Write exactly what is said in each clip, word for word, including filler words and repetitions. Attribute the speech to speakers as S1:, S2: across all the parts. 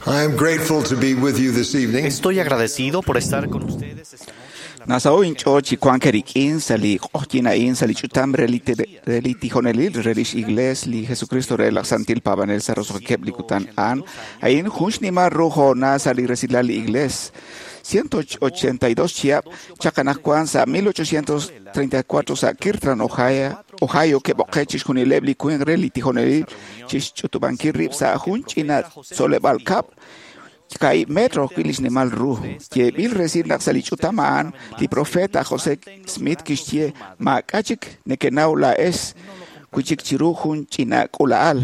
S1: I am grateful to be with you this evening.
S2: Estoy agradecido por estar con ustedes esta noche. en la
S3: Nasaho inch'ool chi wank eriq'in sa' li q'oqyin a'in sa' li ch'utam re li te- re li tijonelil re lix iglees li Jesucristo re laj Santil Paab'anel sa' roso'jikeb' li kutan a'an a'in jun xnimal ru hoonal sa' li resilal li iglees. ciento ochenta y dos chihab' chaq anaqwan sa' mil ochocientos treinta y cuatro sa' Kirtland, Ohio, Ohio ke'b'oqe' chixjunileb' li winq re li tijonelil chixch'utub'ankil rib' sa' jun ch'ina tzoleb'aal kab'l kaahib' metro ajwi' li xnimal ru. Yeeb'il resil naq sa' li ch'utam a'an li profeta José Smith kixye maak'a' chik nekenaw laa'ex wi' chik chiru jun ch'ina k'uula'al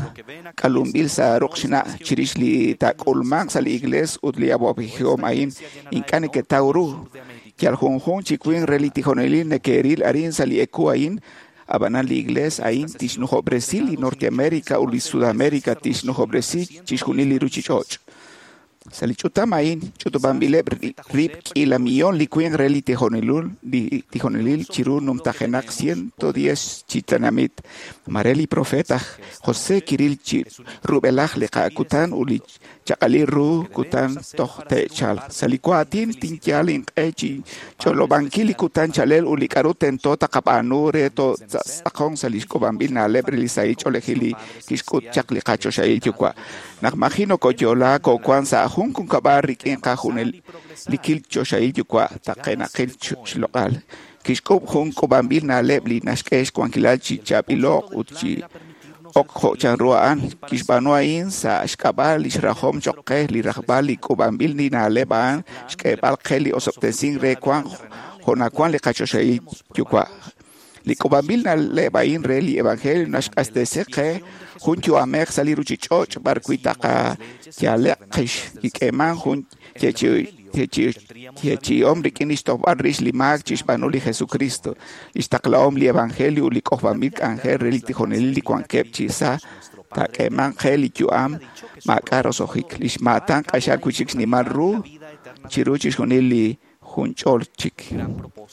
S3: k'alunb'il sa' ruq' xna' chirix li taak'ulmanq sa' li iglees ut li awab'ejihom a'in ink'a' neketaw ru. Yal junjunq chi winq re li tijonelil neke'ril arin sa' li eku a'in, ab'anan li iglees a'in tixnujob'resi li Norteamérica ut li Sudamérica tixnujob'resi chixjunil li ruchich'och'. Sa' li ch'utam a'in ch'utub'anb'ileb' rib' k'iila millón li winq re li tijonelil li tijonelil chiru numtajenaq ciento diez chi tenamit. Mare li profeta José kiril chi rub'elaj li qa'kutan ut li chaq'alil ru kutan toj te'chalq. Sa' li waatin tinyal inq'e chi ch'olob'ankil li kutan chalel ut li k'a'ru tento taqab'aanu re totz'aqonq sa' li xk'ub'anb'il na'leb' re li sahil ch'oolejil li kixk'ut chaq li qachoxahil yuwa'. Naq maji nokoyo'la koowan sa' jun junkab'al rik'in qajunel li kil choxahil yuwa' taqenaqil xloq'al. Kixk'ub' jun k'ub'anb'il na'leb' li naxk'e xwankilal chi chaab'ilo'q ut chi ok jo' chanru a'an. Kixb'aanu a'in sa' xk'ab'a' li xrajom choq' qe li rajb'al li k'ub'anb'il li na'leb' a'an xk'eeb'al qe li osob'tesink re wank jo' nawan li qachoxahil yuwa'. Li k'ub'anb'il na'leb' a'in re li evangelio naxq'axtesi qe jun yu'amej sa' li ruchich'och' b'ar wi' taqayale'q qix kik'eeman jun yeechi'om rik'in li xtojb'al rix li maak chixb'aanu li Jesucristo, li xtaqlahom li evangelio ut li k'ojb'anb'il k'anjel re li tijonelil li wankeb' chi sa' taak'eeman qe li yu'am maak'a' roso'jik. Li xmaatan q'axal wi' chik xnimal ru chiru chixjunil li junch'ol chik.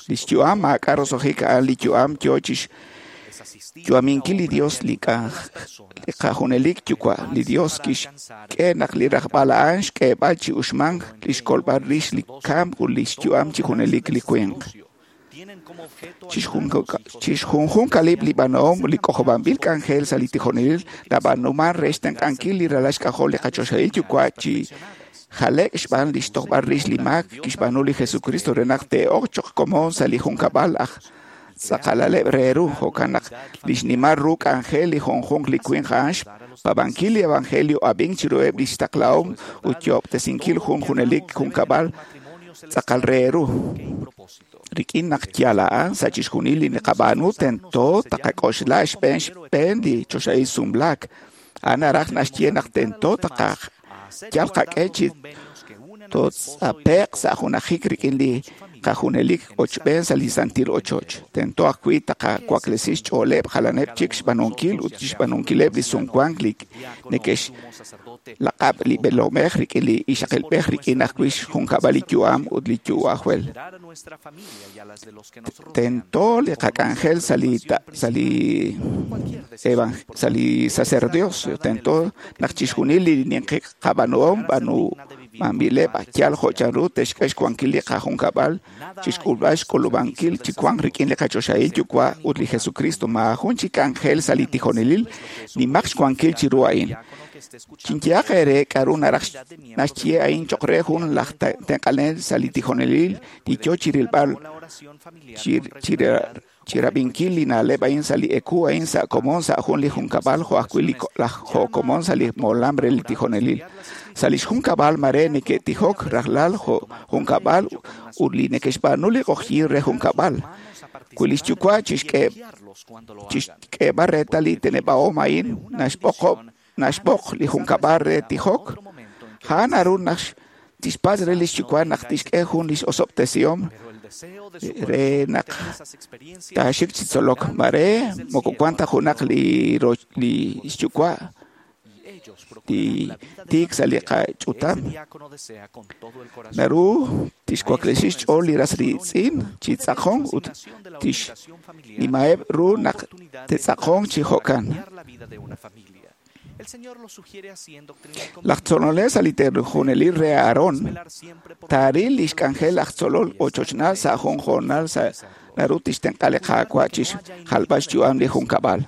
S3: Li xyu'am maak'a' roso'jik a'an li yu'am yoo chixyu'aminkil li Dios li qajunelik yuwa'. Li Dios kixk'e naq li rajb'al a'an xk'eeb'al chi uxmank li xkolb'al rix li kamk ut li xyu'am chi junelik li winq. Chixjunjunqalib' li b'aanum li k'ojob'anb'il k'anjel sa' li tijonelil nab'aanuman re xtenq'ankil li ralal xk'ajol li qachoxahil yuwa' chi jale'k xb'aan li xtojb'al rix li maak kixb'aanu li Jesucristo re naq te'ok choq' komon sa' li junkab'al aj tz'aqalaleb' re ru. Jo'kan naq li xnimal ru k'anjel li junjunq li winq a'an xpaab'ankil li evangelio ab'ink chiruheb' li xtaqlahom ut yo'ob'tesinkil jun junelik junkab'al tz'aqal re ru. Rik'in naq yal a'an sa' chixjunil li naqab'aanu tento taqak'oxla xb'een xb'een li choxahil sumlaak. A'an naraj naxye naq tento taqaj yal qak'e chi totz'ape'q sa' junajik rik'in li qajunelik ochb'een sa' li santil ochoch. Tento ajwi' taqawaklesi xch'ooleb' jalaneb' chik xb'aanunkil ut xb'aanunkileb' li sumwank li neke'xlaq'ab' li b'eelomej rik'in li ixaqilb'ej rik'in ajwi' xjunkab'al li yu'am ut li yu'ajwel. Tento li qak'anjel sa' li sa' li sa' li sacerdocio. Tento naq chixjunil li ninqi qab'aanuhom b'aanumanb'ileb' yal jo' chanru te'xk'e xwankil li qajunkab'al chixk'ulb'al xk'ulub'ankil chi wank rik'in li qachoxahil yuwa' ut li Jesucristo. Maajun chi k'anjel sa' li tijonelil nimaq xwankil chiru a'in. Chinyehaq eere k'a'ru naraj naxye a'in choq' re jun laj tenq'anel sa' li tijonelil li yoo chirilb'al chirab'inkil li na'leb' a'in sa' li eku a'in sa' komon sa' jun li junkab'al jo' ajwi' li laj jo' komon sa' li molam re li tijonelil. Sa' li xjunkab'al mare neke'tijok rajlal jo' junkab'al ut li neke'xb'aanu li q'oqyin re junkab'al. Wi li xyuwa' chixk'eeb'al reetal li teneb'ahom a'in naxb'oqob' naxb'oq li junkab'al re tijok, a'an naru naq tixpatz' re li xyuwa' naq tixk'e jun li osob'tesihom re naq taaxik chi tzolok. Mare moko wan ta junaq li li xyuwa' li tiik sa' li qach'utam. Naru tixwaklesi xch'ool li ras riitz'in chi tz'aqonk ut tixnimaheb' ru naq te'tz'aqonq chi jo'kan. Laj tzolonel sa' li tijonelil re Aarón taaril lix k'anjel laj tzolol ochochnal sa' jun hoonal sa' naru tixtenq'a li Qaawa' chixjalb'al xyu'am li junkab'al.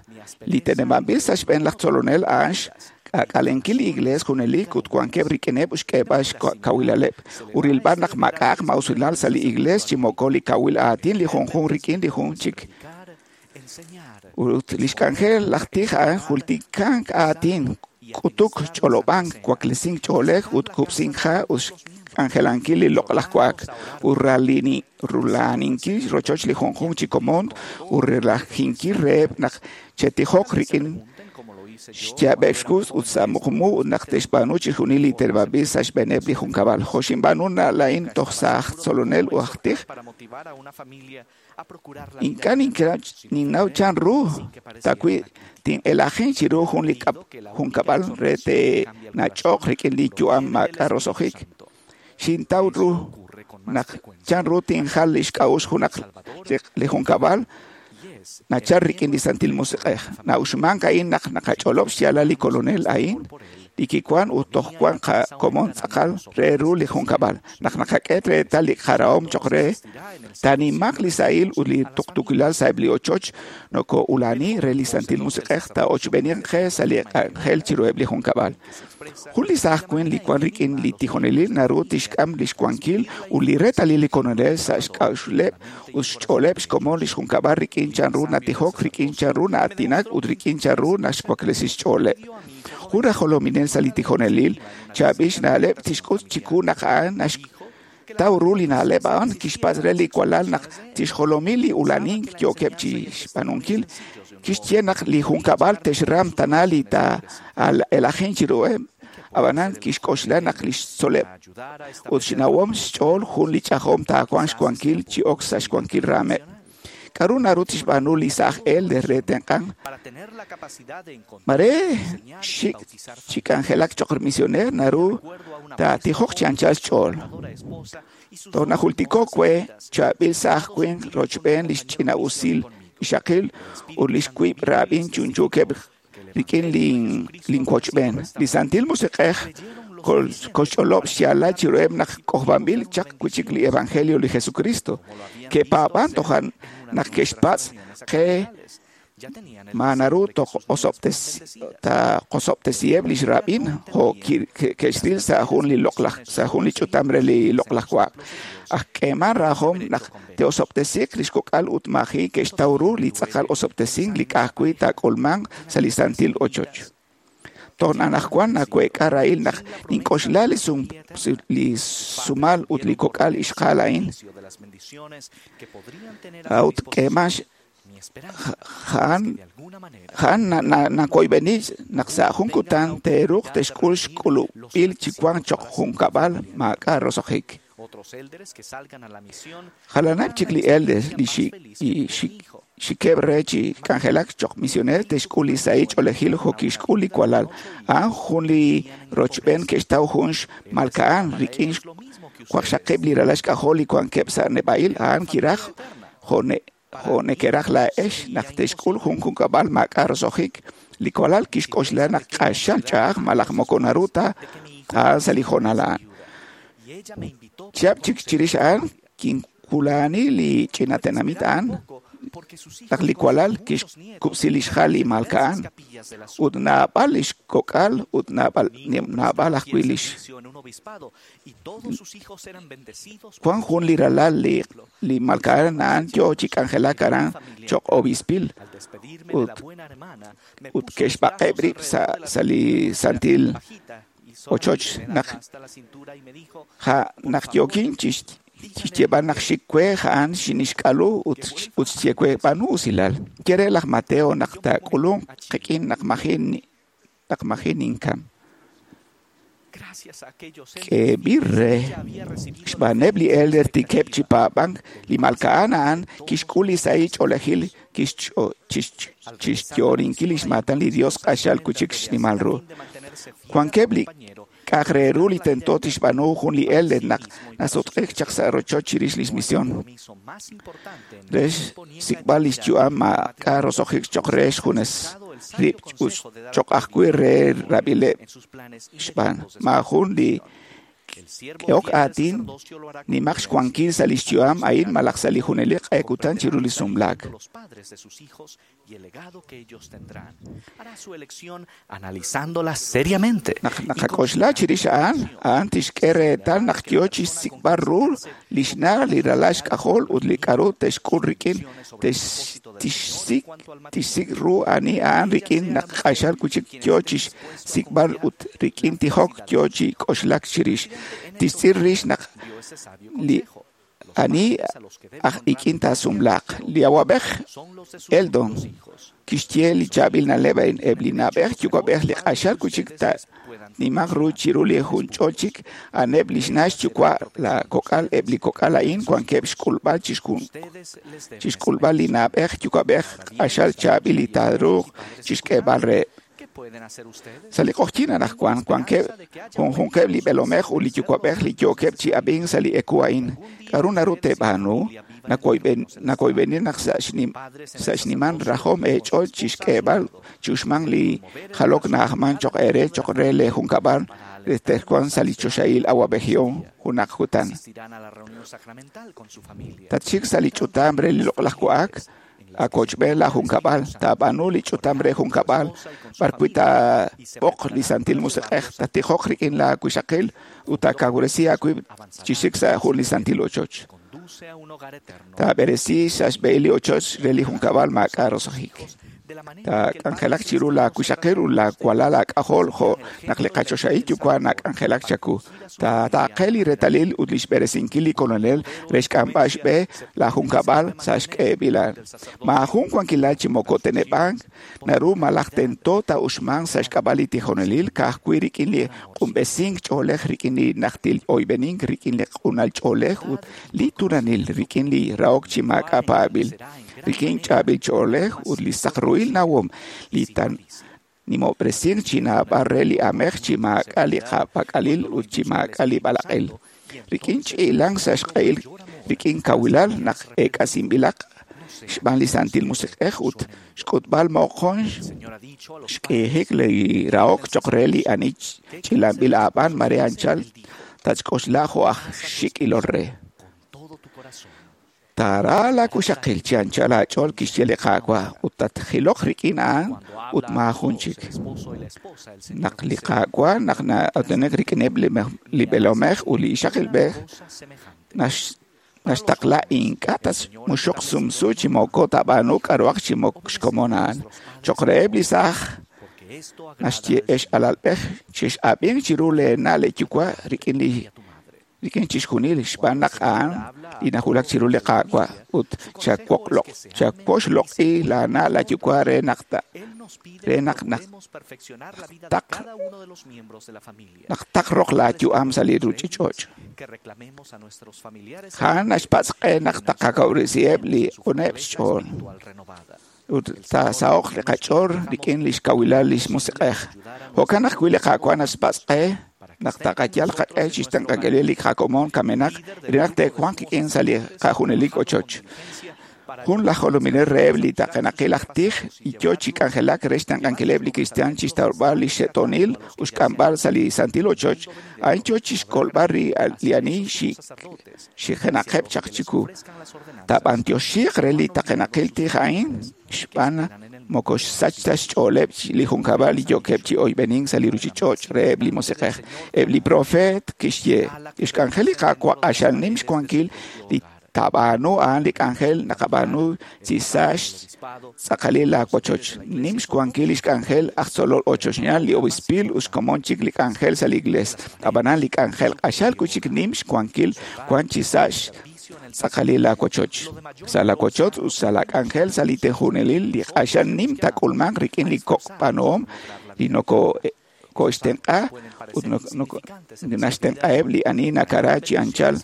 S3: Li teneb'anb'il sa' xb'een laj tzolonel a'an xk'aak'alenkil li iglees junelik ut wankeb' rik'ineb' xk'eeb'al xkawilaleb' ut rilb'al naq maak'a'aq mausilal sa' li iglees chi moko li kawil aatin li junjunq rik'in li jun chik. Ut lix k'anjel laj tij a'an jultikank aatin, k'utuk, ch'olob'ank, waklesink ch'oolej ut kub'sink ha' ut xk'anjelankil li loq'laj wa'ak ut rulaninkil rochoch li junjunq chi komon ut relajinkil reheb' naq chetijoq rik'in xyaab'eb' xkux ut sa' muqmu ut naq te'xb'aanu chixjunil li teneb'anb'il sa' xb'eeneb' li junkab'al. Jo' xinb'aanu laa'in toj sa' aj tzolonel ut aj tij, ink'a' ninnaw chan ru tawi' tin'elajin chiru jun li junkab'al re te'nach'oq rik'in li yu'am maak'a' roso'jik. Xintaw ru naq chan ru tinjal lix k'a'uxl junaq li junkab'al nachal rik'in li Santil Musiq'ej. Na'uxmank a'in naq naqach'olob' xyaalal li Kolonel a'in, li kiwan ut toj wan qakomon tz'aqal re ru li junkab'al. Naq naqak'e reetal li qarahom choq' re, taanimaq li sahil ut li tuqtuukilal sa'eb' li ochoch noko'ulani re li Santil Musiq'ej taa'ochb'eeniq qe sa' li k'anjel chiruheb' li junkab'al. Jun li saaj winq li wan rik'in li tijonelil naru tixk'am lix wankil ut li reetalil li Kolonel sa' xk'a'uxleb' ut xch'ooleb' xkomon lix junkab'al rik'in chan ru natijok, rik'in chan ru na'aatinak ut rik'in chan ru naxwaklesi xch'ooleb'. Jun raj jolominel sa' li tijonelil chaab'il xna'leb' tixk'ut chiku naq a'an naxtaw ru li na'leb' a'an kixpatz' re li walal naq tixjolomi li ulanink yookeb' chi xb'aanunkil. Kixye naq li junkab'al te'xram tana li taa'elajin chiruheb', ab'anan kixk'oxla naq lix tzoleb' ut xnawom xch'ool jun li ch'ajom taawanq xwankil chi ok sa' xwankil raameb'. K'aru naru tixb'aanu li saaj elder re tenq'ank? Mare xik chi k'anjelak choq' misioneer naru taatijoq chi anchal xch'ool. Toj najultiko we chaab'il saaj winq rochb'een lix ch'ina'usil ixaqil ut lix wiib' raab'in chunchuukeb' rik'in linwochb'een. Li Santil Musiq'ej koxch'olob' xyaalal chiruheb' naq k'ojb'anb'il chaq wi'chik li Evangelio li Jesucristo. Ke'paab'an tojan naq ke'xpatz' qe ma naru taqosob'tesiheb' lix raab'in jo' ke'xril sa' jun li loq'laj sa' jun li ch'utam re li loq'laj wa'ak. Aj k'eeman rajom naq te'osob'tesiiq lix kok'al ut maji' ke'xtaw ru li tz'aqal osob'tesink li ka'ajwi' taak'ulmanq sa' li santil ochoch. Toj anaqwan naweek'a rahil naq nink'oxla li sumal ut li kok'al ixqa'al a'in. A'ut k'eeman ja'an ja'an nakoyb'eni naq sa' jun kutan te'ruuq te'xk'ul xk'ulub'il chi wank choq' junkab'al maak'a' roso'jik. Jalaneb' chik li elders li xikeb' re chi k'anjelak choq' misioneer te'xk'ul li sahil ch'oolejil jo' kixk'ul li walal. A'an jun li rochb'een ke'xtaw jun xmalka'an rik'in waqxaqib' li ralal xk'ajol li wankeb' sa' neb'a'il. A'an kiraj jo' jo' neke'raj laa'ex naq te'xk'ul jun junkab'al maak'a' roso'jik. Li walal kixk'oxla naq q'axal ch'a'aj malaj moko naru ta a'an sa' li hoonal a'an. Chihab' chik chirix a'an kinwula'ani li ch'ina tenamit a'an naq li walal kixkub'si lix hal li malka'an ut naab'al lix kok'al ut naab'al naab'al ajwi' lix wan jun li ralal li li malka'an a'an yoo chi k'anjelak aran choq' obispil ut ut ke'xb'aqeb' rib' sa' sa' li santil ochoch naq ja naq yookin chi xyeeb'al naq xik we a'an xinixk'alu ut ut xye we b'aanu usilal. Ye re laj Mateo naq taak'ulunq qik'in naq maji' naq maji' ninkam. K'eeb'il re xb'aaneb' li elder tikeb' chi paab'ank li malka'an a'an kixk'ul li sahil ch'oolejil chixyoorinkil lix maatan li Dios q'axal wi'chik xnimal ru. Wankeb' li k'a'aq re ru li tento tixb'aanu jun li elder naq nasutq'iik chaq sa' rochoch chirix lix misión. Re xsik'b'al lix yu'am maak'a' roso'jik choq' re xjunes. rib' ut choq' ajwi' re rab'ileb' xb'aan. Maajun li k'ehok aatin nimaq xwankil sa' lix yu'am a'in malaj sa' li junelik q'e kutan chiru li sumlaak.
S2: Analizándola seriamente.
S3: Naq naqak'oxla chirix a'an, a'an tixk'e reetal naq yo chixsik'b'al ru lix na' li ralal xk'ajol ut li k'a'ru te'xk'ul rik'in, tixsik' tixsik' ru ani a'an rik'in naq q'axal wi'chik yo chixsik'b'al ut rik'in tijok yo chi k'oxlak chirix. Tixtz'il rix naq li ani aj ik'in taasumlaaq. Li awab'ej Eldon kixye li chaab'il na'leb' a'in eb' li na'b'ej yuwa'b'ej li q'axal wi'chik nimaq ru chiru li junch'ol chik a'aneb' li xna' xyuwa' la kok'al eb' li kok'al a'in wankeb' xk'ulb'al chixk'ulb'al li na'b'ej yuwa'b'ej q'axal chaab'il li taaruuq chixk'eeb'al reheb'. Sa' li q'oqyink anaqwan wankeb' junjunqeb' li b'eelomej ut li yuwa'b'ej li yookeb' chi ab'ink sa' li eku a'in. K'a'ru naru teeb'aanu? Nakoyb'eni naq sa' xnimal rajom eech'ool chixk'eeb'al chi uxmank li jalok na'ajman choq' eere choq' re lee junkab'al re texwanq sa' li choxahil awab'ejihom junaq kutan. Tatxik sa' li ch'utam re li loq'laj wa'ak akochb'een la junkab'al, taab'aanu li ch'utam re junkab'al, b'arwi' taab'oq li Santil Musiq'ej, tatijoq rik'in la wixaqil ut taakawresi aawib' chi xik sa' jun li santil ochoch. Taab'eresi sa' xb'ehil li ochoch re li junkab'al maak'a' roso'jik. Taak'anjelaq chiru la wixaqil ut la walal aak'ajol jo' naq li qachoxahil yuwa' nak'anjelak chaku. Taataaqe li reetalil ut lix b'eresinkil li Kolonel re xk'amb'al xb'e la junkab'al sa' xk'eeb'ilal. Maajun wankilal chi moko teneb'ank naru malaj tento taa'uxmanq sa' xk'ab'a' li tijonelil ka'ajwi' rik'in li q'unb'esink ch'oolej rik'in li najtil oyb'enink rik'in li q'unal ch'oolej ut li turanil rik'in li rahok chi maak'a' paab'il rik'in chaab'il ch'oolej ut li saq ruhil nawom li tan nimob'resink chi naab'al re li amej chi maak'a' li qapak'alil ut chi maak'a' li b'alaq'il. Rik'in ch'iilank sa' xq'ehil rik'in kawilal naq eek'asinb'ilaq xb'aan li Santil Musiq'ej ut xk'utb'al moqon xk'iijik li rahok choq' re li ani ch'ilanb'il aab'aan mare anchal tatxk'oxla jo' aj xik' ilol re. Taara la wixaqil chi anchal aach'ool kixye li Qaawa' ut tatjiloq rik'in a'an ut maajun chik. Naq li Qaawa' naq na'aatinak rik'ineb' li b'eelomej ut li ixaqilb'ej naxtaqla ink'a' tatmuxuq sumsu chi moko taab'aanu k'a'ruhaq chi moko xkomon a'an. Choq' reheb' li saaj naxye ex alalb'ej chex'ab'ink chiru leena' leeyuwa' rik'in li rik'in chixjunil xb'aan naq a'an li najulak chiru li Qaawa' ut chawoxloq'i laana' laayuwa' re naq re naq naq taq naq taq roq laayu'am sa' li ruuchich'och'. A'an naxpatz' qe naq taqakawresiheb' li q'uneb' xch'ool ut taasaho'q li qach'ool rik'in li xkawilal li xmusiq'ej. Jo'kan ajwi' li Qaawa' naxpatz' qe naq taqayal qaq'e chixtenq'ankil li qakomon kamenaq re naq te'wanq qik'in sa' li qajunelik ochoch. Jun laj jolominel reheb' li taqenaqil aj tij y yo chi k'anjelak re xtenq'ankileb' li kristiaan chixtawb'al li xe'toonil ut xk'amb'al sa' li santil ochoch, a'in yo chixkolb'al li ani xijenaqeb' chaq chiku. Taab'antioxiiq re li taqenaqil tij a'in xb'aan moko xsach ta xch'ooleb' li junkab'al li yookeb' chi oyb'enink sa' li ruuchich'och' reheb' li musiq'ej. Eb' li profeet kixye li xk'anjel li Qaawa' q'axal nim xwankil li taab'aanu a'an li k'anjel naqab'aanu chi sa' xtz'aqalil laawochoch. Nim xwankil li xk'anjel aj tzolol ochochnaal li obispil ut xkomon chik li k'anjel sa' li iglees. Ab'anan li k'anjel q'axal wi'chik nim xwankil wan chi sa' xtz'aqalil laawochoch. Sa' laawochoch ut sa' laak'anjel sa' li tejunelil li q'axal nim taak'ulmanq rik'in li kok' b'aanuhom li noko koxtenq'a ut naxtenq'aheb' li ani nakara chi anchal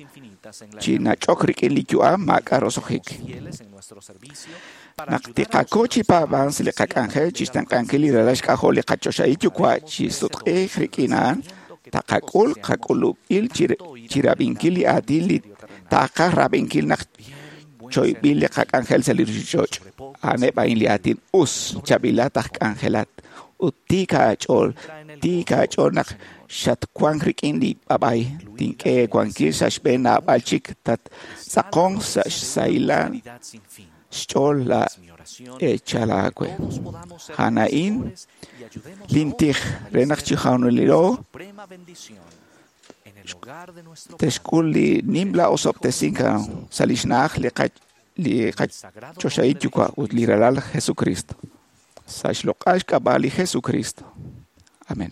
S3: chi nach'ok rik'in li yu'am maak'a' roso'jik. Naq tiqako chi paab'ank sa' li qak'anjel chixtenq'ankil li ralal xk'ajol li qachoxahil yuwa' chi sutq'iik rik'in a'an, taqak'ul qak'ulub'il chi rab'inkil li aatin li taqaj rab'inkil naq choyb'il li qak'anjel sa' li ruuchich'och'. A'aneb' a'in li aatin us, chaab'ilat aj k'anjelat ut tiik aach'ool, tiik aach'ool naq xatwank rik'in li b'ab'ay, tink'e eewankil sa' xb'een naab'al chik tattz'aqonq sa' xsahilal xch'ool la eechal aawe. A'an a'in lintij re naq chi junilo te'xk'ul li nimla osob'tesink sa' li xna'aj li li qaChoxahil Yuwa' ut li Ralal Jesucristo. Sa' xloq'al xk'ab'a' li Jesucristo. Amén.